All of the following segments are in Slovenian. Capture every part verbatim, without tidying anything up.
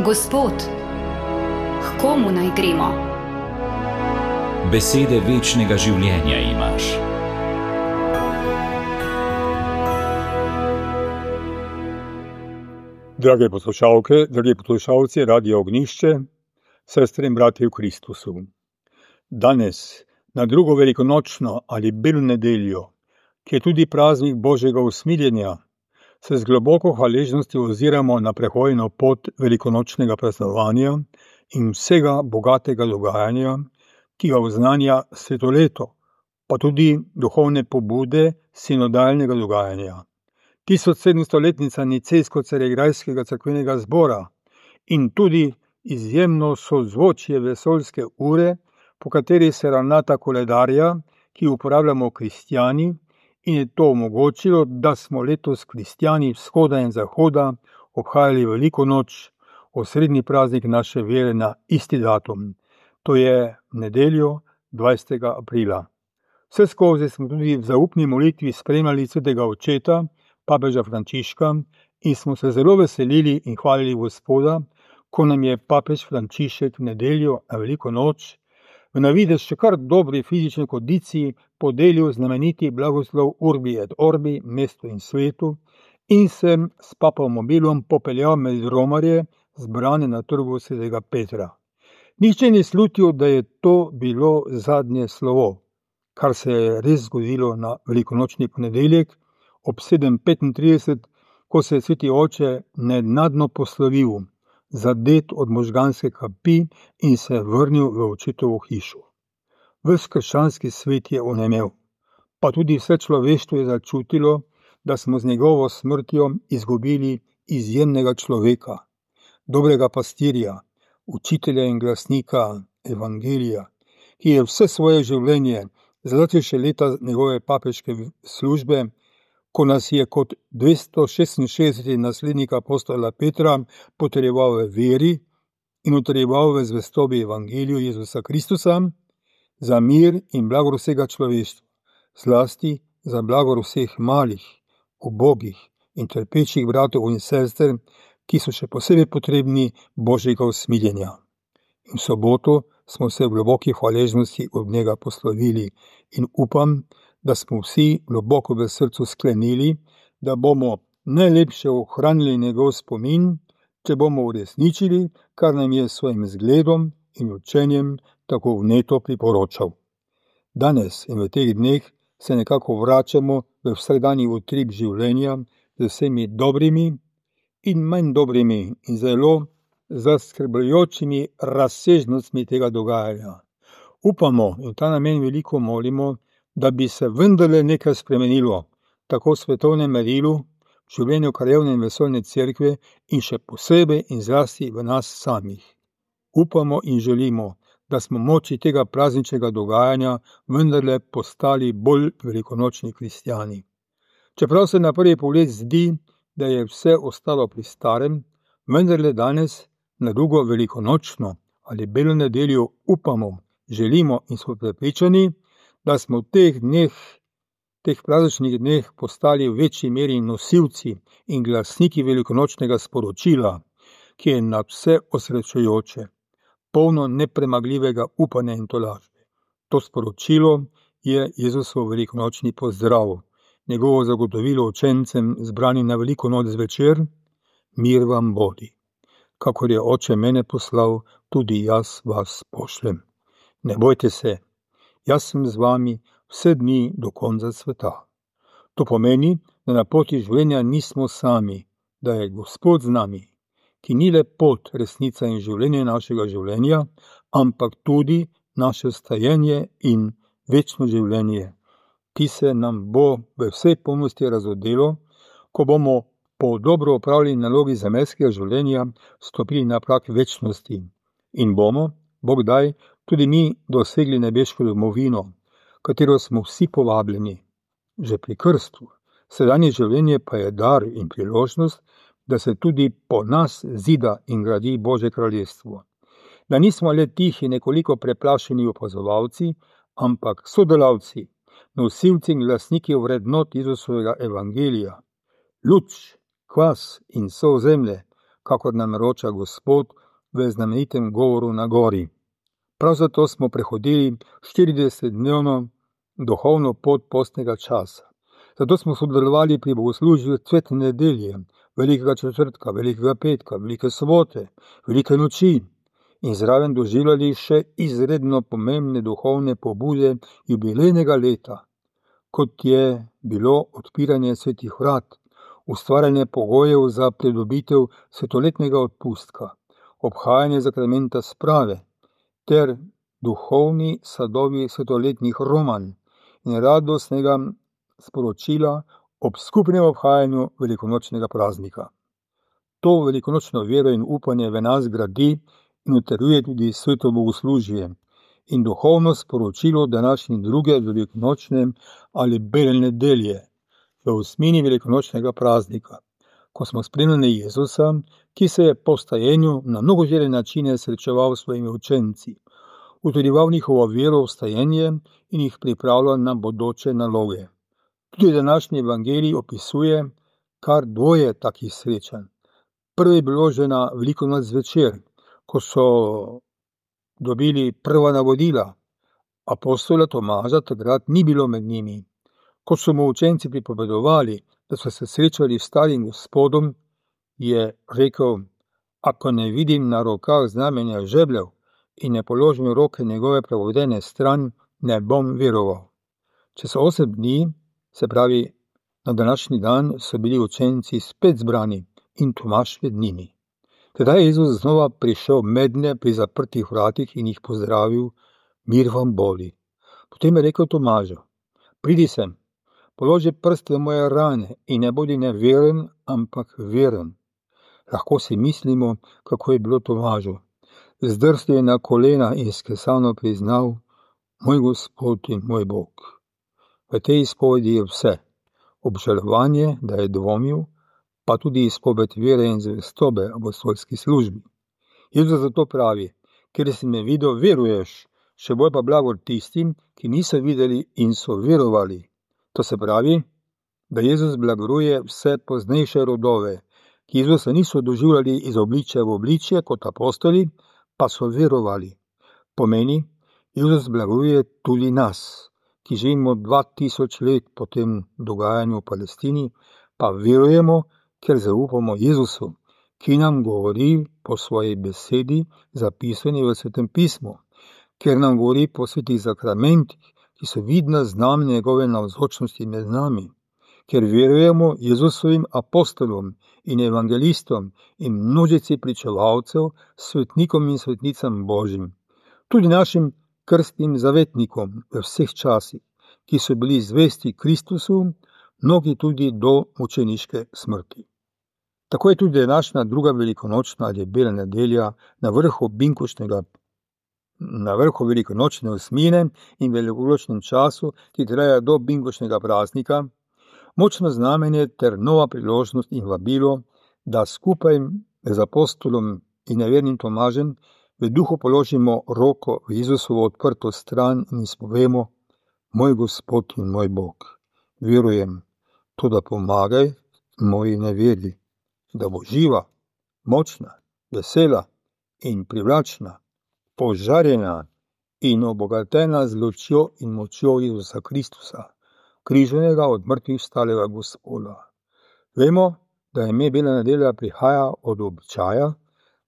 Gospod, k komu naj gremo? Besede večnega življenja imaš. Drage poslušalke, dragi poslušalci Radia Ognjišče, sestre in bratje v Kristusu. Danes, na drugo velikonočno ali belo nedeljo, ki je tudi praznik Božjega usmiljenja, se z globoko hvaležnostjo oziramo na prehojeno pot velikonočnega praznovanja in vsega bogatega dogajanja, ki ga oznanja svetoleto, pa tudi duhovne pobude sinodalnega dogajanja. tisoč sedemstoletnica Nicejsko-Carigrajskega cerkvenega zbora in tudi izjemno sozvočje vesoljske ure, po kateri se ravnata koledarja, ki uporabljamo kristjani, in je to omogočilo, da smo letos kristjani vzhoda in zahoda obhajali veliko noč, osrednji praznik naše vere na isti datum, to je nedeljo dvajsetega aprila. Vse skozi smo tudi v zaupni molitvi spremljali svetega očeta, papeža Frančiška, in smo se zelo veselili in hvalili Gospoda, ko nam je papež Frančišek v nedeljo na veliko noč v navidez še kar dobri fizični kondiciji podelil znameniti blagoslov Urbi et Orbi mestu in svetu in se s papomobilom popeljal med romarje zbrane na trgu svetega Petra. Nihče ni slutil, da je to bilo zadnje slovo, kar se je res zgodilo na velikonočni ponedeljek ob sedem petintrideset, ko se je sveti oče nenadno poslovil, zadet od možganske kapi in se vrnil v očetovo hišo. Ves krščanski svet je onemel, pa tudi vse človeštvo je začutilo, da smo z njegovo smrtjo izgubili izjemnega človeka, dobrega pastirja, učitelja in glasnika evangelija, ki je vse svoje življenje, zlasti še leta njegove papeške službe, ko nas je kot dvesto šestinšestdeseti naslednik apostola Petra potrjeval v veri in utrjeval v zvestobi evangeliju Jezusa Kristusa, za mir in blagor vsega človeštva, zlasti za blagor vseh malih, ubogih in trpečih bratov in sester, ki so še posebej potrebni Božjega usmiljenja. In v soboto smo se v globoki hvaležnosti od njega poslovili in upam, da smo vsi globoko v srcu sklenili, da bomo najlepše ohranili njegov spomin, če bomo uresničili, kar nam je s svojim zgledom in učenjem tako vneto priporočal. Danes in v teh dneh se nekako vračamo v vsakdanji utrip življenja z vsemi dobrimi in manj dobrimi in zelo zaskrbljujočimi razsežnostmi tega dogajanja. Upamo in ta namen veliko molimo, da bi se vendarle nekaj spremenilo, tako v svetovnem merilu, v življenju krajevne in vesoljne cerkve in še posebej in zlasti v nas samih. Upamo in želimo, da smo moči tega prazničnega dogajanja vendarle postali bolj velikonočni kristjani. Čeprav se na prvi pogled zdi, da je vse ostalo pri starem, vendarle danes, na drugo velikonočno ali belo nedeljo upamo, želimo in smo prepričani, da smo v teh dneh, teh prazničnih dneh postali v večji meri nosilci in glasniki velikonočnega sporočila, ki je nad vse osrečujoče, polno nepremagljivega upanja in tolažbe. To sporočilo je Jezusov velikonočni pozdrav, njegovo zagotovilo učencem zbrani na veliko noč zvečer, mir vam bodi. Kakor je oče mene poslal, tudi jaz vas pošljem. Ne bojte se, jaz sem z vami vse dni do konca sveta. To pomeni, da na poti življenja nismo sami, da je Gospod z nami, ki ni le pot, resnica in življenje našega življenja, ampak tudi naše stajenje in večno življenje, ki se nam bo v vsej polnosti razodelo, ko bomo po dobro opravljeni nalogi zemeljskega življenja stopili na prag večnosti in bomo, Bog daj, tudi mi dosegli nebeško domovino, katero smo vsi povabljeni, že pri krstu. Sedanje življenje pa je dar in priložnost, da se tudi po nas zida in gradi Božje kraljestvo. Da nismo le tihi, nekoliko preplašeni opazovalci, ampak sodelavci, nosilci in glasniki vrednot Jezusovega evangelija. Luč, kvas in sol zemlje, kakor nam roča Gospod v znamenitem govoru na gori. Prav zato smo prehodili štiridesetdnevno duhovno pot postnega časa. Zato smo sodelovali pri bogoslužju cvetne nedelje, velikega četrtka, velikega petka, velike sobote, velike noči in zraven doživljali še izredno pomembne duhovne pobude jubilejnega leta, kot je bilo odpiranje svetih vrat, ustvarjanje pogojev za pridobitev svetoletnega odpustka, obhajanje zakramenta sprave ter duhovni sadovi svetoletnih romanj in radostnega sporočila ob skupnem obhajanju velikonočnega praznika. To velikonočno vero in upanje v nas gradi in utrjuje tudi sveto bogoslužje in duhovno sporočilo današnje druge velikonočne ali bele nedelje v osmini velikonočnega praznika, ko smo spremljali Jezusa, ki se je po vstajenju na mnogožere načine srečeval s svojimi učenci, utrjeval njihovo vero v vstajenje in jih pripravljal na bodoče naloge. Tudi današnji evangelij opisuje kar dvoje takih srečanj. Prvo je bilo že na veliko noč zvečer, ko so dobili prva navodila. Apostola Tomaža takrat ni bilo med njimi. Ko so mu učenci pripovedovali, da so se srečali s starim Gospodom, je rekel: ako ne vidim na rokah znamenja žebljev in ne položim roke njegove pravodene stran, ne bom veroval. Čez osem dni, se pravi na današnji dan, so bili učenci spet zbrani in Tomaž med njimi. Tedaj je Jezus znova prišel mednje pri zaprtih vratih in jih pozdravil: mir vam bodi. Potem je rekel Tomažu: pridi sem, položi prst v moje rane in ne bodi neveren, ampak veren. Lahko si mislimo, kako je bilo Tomažu. Zdrsnil je na kolena in skesano priznal: moj Gospod in moj Bog. V tej izpovedi je vse. Obžalovanje, da je dvomil, pa tudi izpoved vere in zvestobe apostolski službi. Jezus zato pravi: ker si me videl, veruješ, še bolj pa blagor tistim, ki niso videli in so verovali. To se pravi, da Jezus blagoruje vse poznejše rodove, ki Jezusa niso doživljali iz obličja v obličje kot apostoli, pa so verovali. Pomeni, Jezus blagoruje tudi nas, ki živimo dva tisoč let po tem dogajanju v Palestini, pa verujemo, ker zaupamo Jezusu, ki nam govori po svoji besedi, zapisani v Svetem pismu, ker nam govori po svetih zakramentih, ki so vidna znamenja njegove navzočnosti med nami, ker verujemo Jezusovim apostolom in evangelistom in množici pričevalcev, svetnikom in svetnicam Božjim, tudi našim krstnim zavetnikom v vseh časih, ki so bili zvesti Kristusu, mnogi tudi do mučeniške smrti. Tako je tudi današnja druga velikonočna ali bela nedelja na vrhu binkošnega na vrhu velikonočne osmine in velikonočnem času, ki traja do binkošnega praznika, močno znamenje ter nova priložnost in vabilo, da skupaj z apostolom in nevernim Tomažem v duhu položimo roko v Jezusovo odprto stran in izpovemo: moj Gospod in moj Bog. Verujem, to da pomagaj moji neveri, da bo živa, močna, vesela in privlačna, požarjena in obogatena z lučjo in močjo Jezusa Kristusa, križanega od mrtvih vstalega Gospoda. Vemo, da ime bela nedelja prihaja od običaja,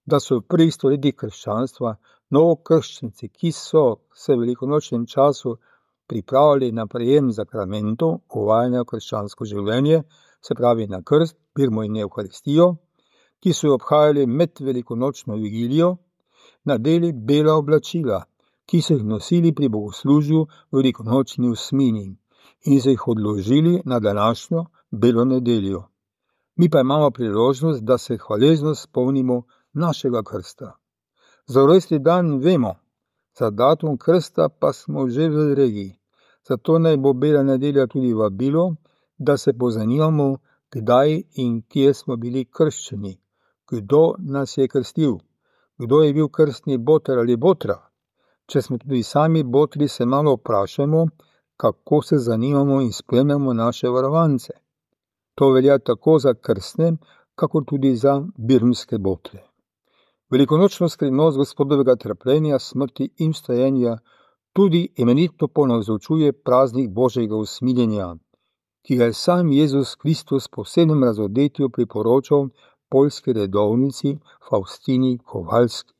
da so v prvih stoletjih krščanstva novokrščenci, ki so se v velikonočnem času pripravljali na prejem zakramentov uvajanja v krščansko življenje, se pravi na krst, pirmo in evharistijo, ki so jo obhajali med velikonočno vigilijo, nadeli bela oblačila, ki so jih nosili pri bogoslužju v velikonočni osmini in so jih odložili na današnjo belo nedeljo. Mi pa imamo priložnost, da se hvaležno spomnimo našega krsta. Za rojstni dan vemo, za datum krsta pa smo že v regiji. Zato naj bo bela nedelja tudi vabilo, da se pozanimamo, kdaj in kje smo bili krščeni, kdo nas je krstil, kdo je bil krstni boter ali botra. Če smo tudi sami botri, se malo vprašamo, kako se zanimamo in spremljamo naše varovance. To velja tako za krstne, kakor tudi za birmske botle. Velikonočno skrivnost Gospodovega trpljenja, smrti in vstajenja tudi imenitno ponazorčuje praznik Božjega usmiljenja, ki ga je sam Jezus Kristus po posebnem razodetju priporočal poljski redovnici Faustini Kowalski,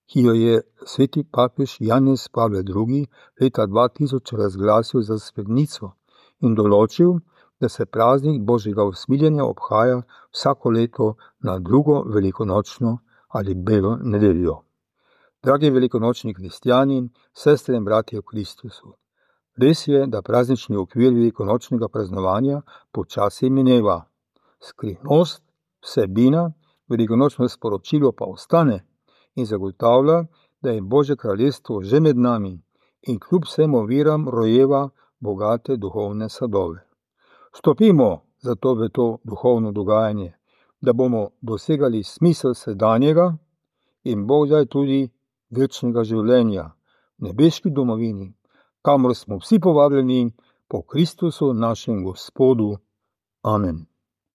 ki jo je sveti papež Janez Pavel drugi. leta dva tisoč razglasil za svetnico in določil, da se praznik Božjega usmiljenja obhaja vsako leto na drugo velikonočno ali belo nedeljo. Dragi velikonočni kristjani, sestre in bratje v Kristusu, res je, da praznični okvir velikonočnega praznovanja počasi mineva. Skrivnost, vsebina, velikonočno sporočilo pa ostane in zagotavlja, da je Božje kraljestvo že med nami in kljub vsem oviram rojeva bogate duhovne sadove. Stopimo zato v to duhovno dogajanje, da bomo dosegali smisel sedanjega in Bog daj tudi večnega življenja v nebeški domovini, kamor smo vsi povabljeni po Kristusu našem Gospodu. Amen.